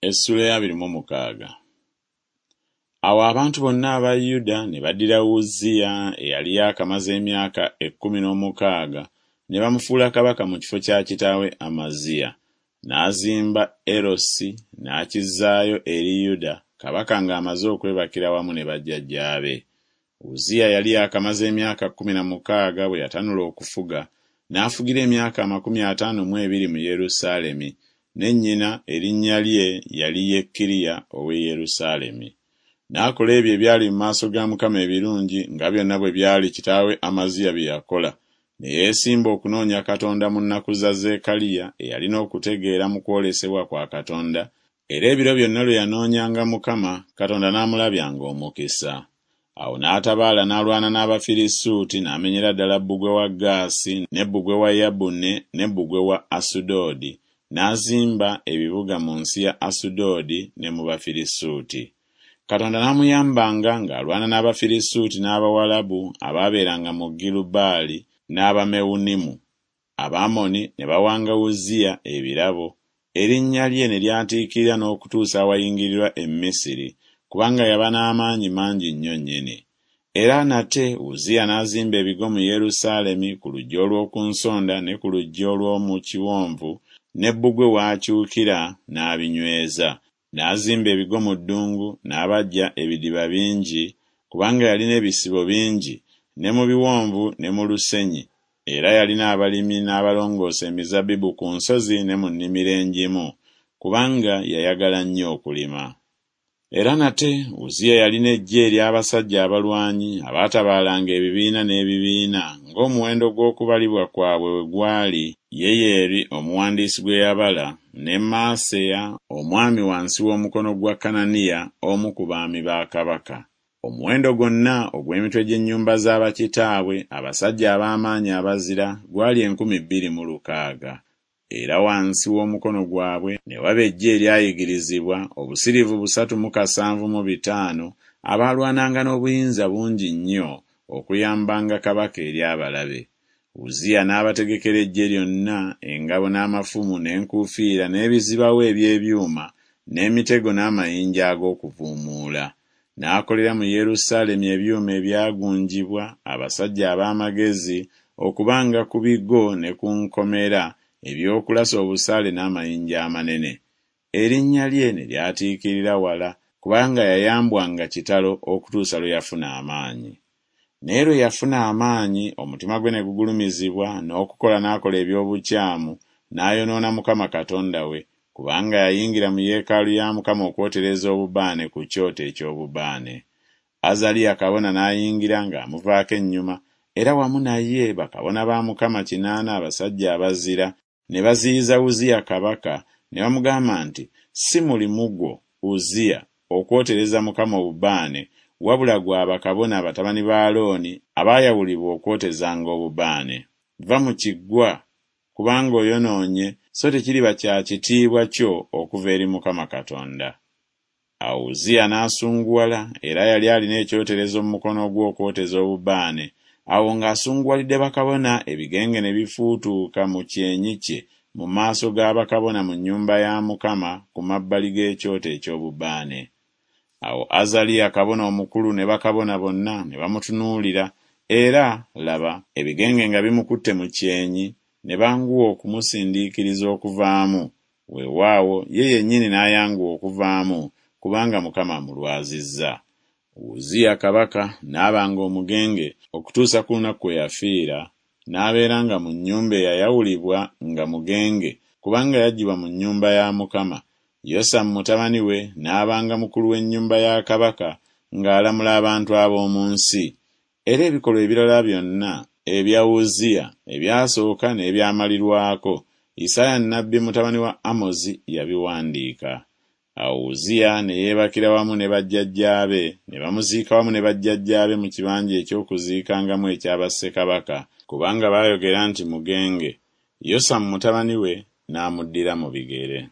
Essuula ey'abiri mu mukaaga. Awo abantu bonna aba Yuda ne baddira Uzziya eyali yaakamaze emyaka 16 ne bamufuula kabaka mu kifo kya kitaawe Amaziya. N'azimba Erosi n'akizzaayo eri Yuda, kabaka ng'amaze okwebakira wamu ne bajjajjaabe. Uzziya yali yaakamaze emyaka 16 bwe yatanula okufuga, n'afugira emyaka 52 mu Yerusaalemi, ne nnyina erinnya lye yali Yekkiriya ow'e Yerusaalemi. N'akola ebyo ebyali mu maaso ga Mukama ebirungi, nga byonna bwe byali kitaawe Amaziya bye yakola, ne yeesimba okunoonya Katonda mu nnaku za Zekkaliya eyalina okutegeera mu kwolesebwa kwa Katonda, era ebiro byonna lwe yanoonyanga Mukama, Katonda n'amulabyanga omukisa. Awo n'atabaala n'alwana n'Abafirisuuti n'amenyera ddala bbugwe wa Gaasi ne bbugwe wa Yabune ne bbugwe wa Asudoodi, n'azimba ebibuga mu nsi ya Asudoodi ne mu Bafirisuuti. Katonda n'amuyambanga ng'alwana n'Abafirisuuti n'Abawalabu abaabeeranga mu Girubaali n'Abamewunimu. Abamoni ne bawanga Uzziya ebirabo, erinnya lye ne lyatiikirira n'okutuusa awayingirirwa e Misiri, kubanga yaba n'amaanyi mangi nnyo nnyini. Era nate Uzziya n'azimba ebigo mu Yerusaalemi ku luggi olw'oku nsonda ne ku luggi olw'omu kiwonvu ne bbugwe w'akyukira n'abinyweza. N'azimba ebigo mu ddungu, n'abajja ebidiba bingi, kubanga yalina ebisibo bingi, ne mu biwonvu ne mu lusenyi, era yalina abalimi n'abalongoosa emizabbibu ku nsozi ne mu nnimiro engimu, kubanga yayagala nnyo okulima. Era nate Uzziya yalina eggye ery'abasajja abalwanyi abaatabaalanga ebibiina n'ebibiina ng'omuwendo gw'okubalibwa kwabwe bwe gwali, Yeyeri omuwandiisi gwe yabala, ne Maaseya omwami wansi w'omukono gwa Kananiya omu ku baami ba kabaka. Omuwendo gwonna ogw'emitwe gy'ennyumba za bakitaabwe, abasajja ab'amaanyi abazira, gwali 2600. Era wansi w'omukono gwabwe ne waba eggye eryayigirizibwa, obusiriivu busatu mu kasanvu mu bitaano, abaalwananga n'obuyinza bungi nnyo okuyambanga kabaka eri abalabe. Uzziya n'abategekera eggye lyonna engabo n'amafumu n'enkuufiira n'ebizibawo eby'ebyuma n'emitego n'amayinja ag'okuvuumuula. N'akolera mu Yerusaalemi ebyuma ebyagunjibwa abasajja ab'amagezi okubanga ku bigo ne ku nkomera eby'okulasa obusaale n'amayinja amanene. Erinnya lye ne lyatiikirira wala, kubanga yayambwanga kitalo okutuusa lwe yafuna amaanyi. Naye lwe yafuna amaanyi, omutima gwe ne gugulumizibwa, n'okukola n'akola eby'obukyamu, n'ayonoona Mukama Katonda we, kubanga yayingira mu yeekaalu ya Mukama okwotereza obubaane ku kyoto eky'obubaane. Azaliya kabona n'ayingira ng'amuvaako ennyuma, era wamu naye bakabona ba Mukama kinaana abasajja abazira, ne baziyiza Uzziya kabaka, ne bamugamba nti Si mulimu gwo, Uzziya, okwotereza Mukama obubaane, wabula gwa bakabona batabani ba Alooni abaayawulibwa okwotezanga obubaane. Va mu Kiggwa, kubanga oyonoonye, so tekiriba kya kitiibwa kyo okuva eri Mukama Katonda. Awo Uzziya n'asunguwala, era yali alina ekyoterezo mu mukono gwe okwoteza obubaane. Awo ng'asunguwalidde bakabona, ebigenge ne bifuutuuka mu kyenyi kye mu maaso ga bakabona mu nnyumba ya Mukama ku mabbali g'ekyoto eky'obubaane. Awo Azaliya kabona omukulu ne bakabona bonna ne bamutunuulira, era, laba, ebigenge nga bimukutte mu kyenyi, ne banguwa okumusindiikiriza okuvaamu, weewaawo, ye yennyini n'ayanguwa okuvaamu, kubanga Mukama amulwazizza. Uzziya kabaka n'abanga omugenge okutuusa ku lunaku kwe yafiira, n'abeeranga mu nnyumba eyayawulibwa nga mugenge, kubanga yaggyibwa mu nnyumba ya Mukama, Yosamu mutabani we n'abanga mukulu w'ennyumba ya kabaka ng'alamula abantu ab'omu nsi. Era ebikolwa ebirala byonna ebya Uzziya ebyasooka n'ebyamalirwako, Isaaya nnabbi mutabani wa Amozi yabiwandiika. Awo Uzziya ne yeebakira wamu ne bajjajjaabe, ne bamuziika wamu ne bajjajjaabe mu kibanja eky'okuziikangamu ekya bassekabaka, kubanga baayogera nti Mugenge. Yosamu mutabani we n'amuddira mu bigere.